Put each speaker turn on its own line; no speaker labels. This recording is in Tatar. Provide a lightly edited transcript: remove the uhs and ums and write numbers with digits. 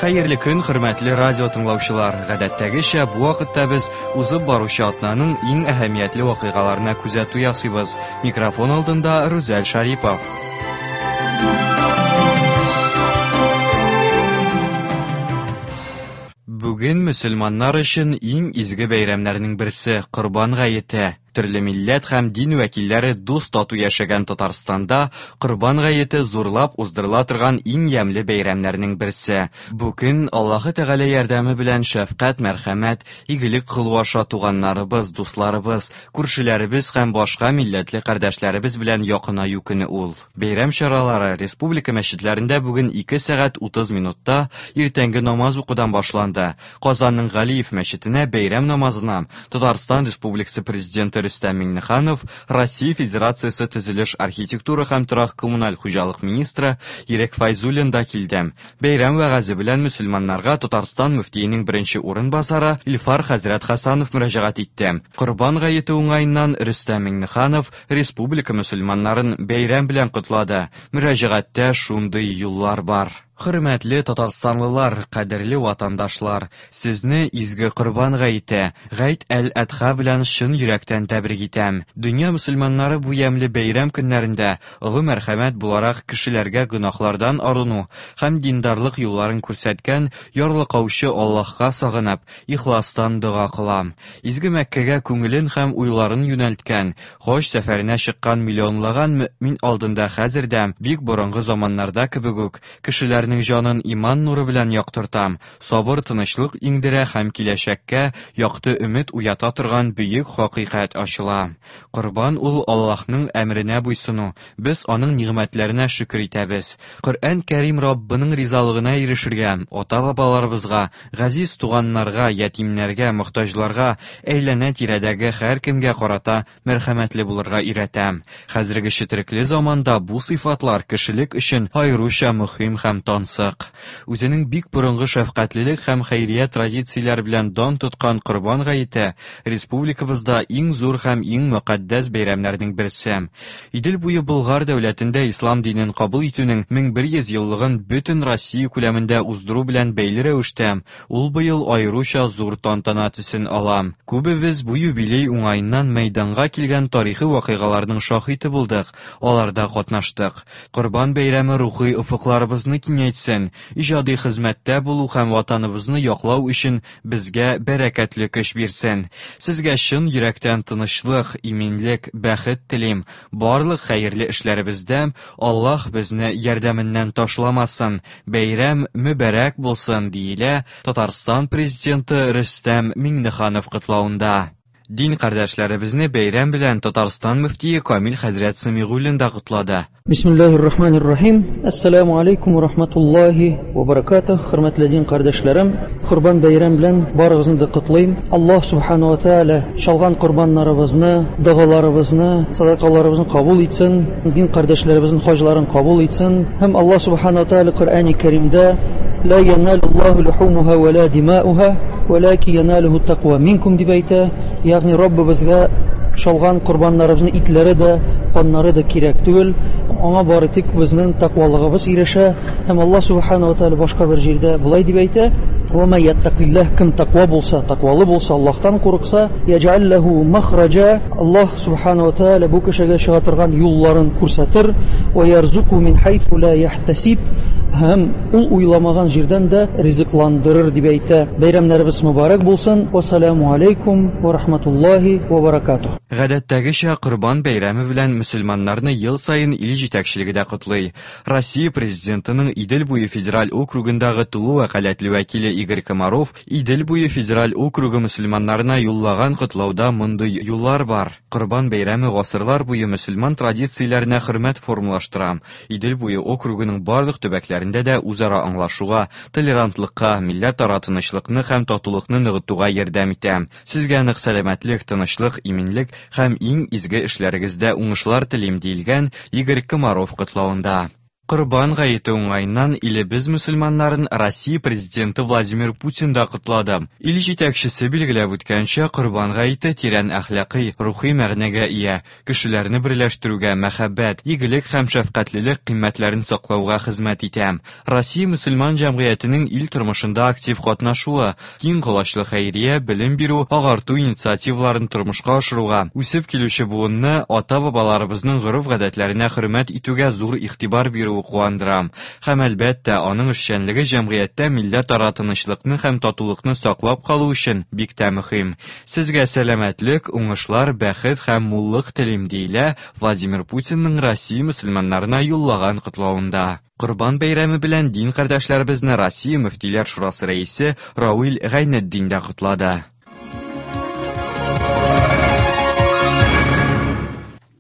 Хәерле көн, хөрмәтле радио тыңлаучылар. Гадәттәгечә, бу вакытта без узып баручы атнаның иң әһәмиятле вакыйгаларына күзәтү ясыйбыз. Микрофон алдында Рүзәл Шарипов. Бүген мөселманнар өчен иң изге бәйрәмнәрнең берсе Корбан гаете. Төрле милләт һәм дин вәкилләре дус-тату яшәгән Татарстанда Корбан гаете зурлап уздырыла торган иң ямьле бәйрәмнәрнең берсе. Бу көн Аллаһы Тәгалә ярдәме белән шәфкать, мәрхәмәт, игелек кылу аша туганнарыбыз, дусларыбыз, күршеләребез һәм башка милләтле кардәшләребез белән якынаю көне ул. Бәйрәм чаралары республика мәчетләрендә бүген 2 сәгать 30 минутта иртәнге намаз укудан башланды. Казанның Галиев мәчетенә бәйрәм намазына Татарстан Республикасы Президенты Рөстәм Миңнеханов, Россия Федерациясе төзелеш, архитектура һәм торак-коммуналь хуҗалык министры Ирек Фәйзуллин да килде. Бәйрәм вәгазе белән мөселманнарга Татарстан мөфтиенең беренче урынбасары Илфар хәзрәт Хәсанов мөрәҗәгать итте. Корбан гаете уңаеннан Рөстәм Миңнеханов республика мөселманнарын бәйрәм белән котлады. Мөрәҗәгатьтә шундый юллар бар. Хөрмәтле татарстанлылар, кадерле ватандашлар, сезне изге Корбан гаете, Гайд әл-Әдха белән чын йөрәктән тәбрик итәм. Дөнья мөселманнары бу ямьле бәйрәм көннәрендә олы мәрхәмәт буларак кешеләргә гөнаһлардан арыну һәм диндарлык юлларын күрсәткән ярлыкаучы Аллаһка сагынып, ихластан дога кылам. Изге Мәккәгә күңелен һәм уйларын юнәлткән, хаҗ сәфәренә чыккан миллионлаган мөэмин алдында хәзер дә, бик борынгы заманнарда кебек үк, кешеләрнең җанын иман нуры белән яктырта, сабыр тынычлык иңдерә һәм киләчәккә якты өмет уята торган бөек хакыйкать ачыла. Корбан ул Аллаһның әмеренә буйсыну, без аның нигъмәтләренә шөкер итәбез. Коръән Кәрим Раббының ризалыгына ирешергә, ата-бабаларыбызга, газиз туганнарга, ятимнәргә, мохтаҗларга, әйләнә-тирәдәге һәркемгә карата мәрхәмәтле булырга өйрәтә. Хәзерге четерекле заманда бу сыйфатлар кешелек өчен аеруча мөһим һәм тансык. Үзенең бик борынгы шәфкатьлелек һәм хәйрия традицияләре белән дан тоткан Корбан гаете республикабызда иң зур һәм иң мөкатдәс бәйрәмнәрнең берсе. Идел буе Болгар дәүләтендә ислам динен кабул итүнең 1100 еллыгын бөтен Россия күләмендә уздыру белән бәйле рәвештә, ул быел аеруча зур тантана төсен ала. Күбебез бу юбилей уңаеннан мәйданга килгән тарихи вакыйгаларның шаһиты булдык, аларда катнаштык. Корбан бәйрәме рухи офыкларыбызны киңәйтсен, иҗади хезмәттә булу һәм Ватаныбызны яклау өчен безгә бәрәкәтле көч бирсен. Сезгә чын йөрәктән тынычлык, иминлек, бәхет телим. Барлык хәерле эшләребездә Аллаһ безне ярдәменнән ташламасын. Бәйрәм мөбарәк булсын, диелә Татарстан Президенты Рөстәм Миңнеханов котлавында. Дин кардәшләребезне бәйрәм белән Татарстан мөфтие Камил хәзрәт Самигуллин да котлады.
Бисмиллахир-рахманир-рахим. Ассаламу алейкум ва рахматуллахи ва баракатух. Хөрмәтле дин кардәшләрем, Корбан бәйрәм белән барыгызны да котлыйм. Аллаһ субхану ва тааля чалган корбаннарыбызны, догаларыбызны, садакаларыбызны кабул итсен, дин кардәшләребезнең хаҗларын кабул итсен. Һәм Аллаһ субхану ва тааля Коръәни Кәримдә ла яналуллаху лухумуха ва ла димауха вәләки яналүһу тәкъва минкум дип әйтә. Ягъни Раббыбызга чалган корбаннарыбызның итләре дә, каннары да кирәк түгел. Аңа бары тик безнең тәкъвалыгыбыз ирешә. Һәм Аллаһ субхана ва тааля башка бер җирдә болай дип әйтә: "Ва ма яттакиллаһ" кем тәкъва булса, тәкъвалы булса, Аллаһтан курыкса, яҗәл ләһу махраҗа, Аллаһ субхана ва тааля бу кешегә чыга торган юлларын күрсәтер, ва ярзуку мин хайсу ла яхтасиб һәм ул уйламаган җирдән дә ризыкландырыр дип әйтә. Бәйрәмнәребез мөбарәк булсын. Вассаламу алейкум ва рахматуллахи ва баракатух.
Гадәттәгечә, Корбан бәйрәме белән мөселманнарны ел саен ил җитәкчелеге дә котлый. Россия Президентының Идел буе федераль округындагы тулы вәкаләтле вәкиле Игорь Комаров Идел буе федераль округы мөселманнарына юллаган котлауда мондый юллар бар, Корбан бәйрәме гасырлар буе мөселман традицияләренә хөрмәт формалаштыра. Идел буе округының барлык төбәкләрендә дә үзара аңлашуга, толерантлыкка, милләтара тынычлыкны һәм татулыкны ныгытуга ярдәм итә. Сезгә нык сәламәтлек, тынычлык, иминлек һәм иң изге эшләрегездә уңышлар телим, диелгән Игорь Комаров котлавында. Корбан гаете уңаеннан илебез мөселманнарын Россия Президенты Владимир Путин да котлады. Ил җитәкчесе билгеләп үткәнчә, Корбан гаете тирән әхлакый, рухи мәгънәгә ия, кешеләрне берләштерүгә, мәхәббәт, игелек һәм шәфкатьлелек кыйммәтләрен саклауга хезмәт итә. Россия мөселман җәмгыятенең ил тормышында актив катнашуы, киң колачлы хәйрия, белем бирү, агарту инициативаларын тормышка ашыруга, үсеп килүче буынны ата-бабаларыбызның гореф-гадәтләренә хөрмәт итүгә зур игътибар бирүе куандыра. Һәм, әлбәттә, аның эшчәнлеге җәмгыятьтә милләтара тынычлыкны һәм татулыкны саклап калу өчен бик тә мөһим. Сезгә сәламәтлек, уңышлар, бәхет һәм муллык телим, диелә Владимир Путинның Россия мөселманнарына юллаган котлавында. Корбан бәйрәме белән дин кардәшләребезне Россия мөфтиләр шурасы рәисе Равил Гайнетдин дә котлады.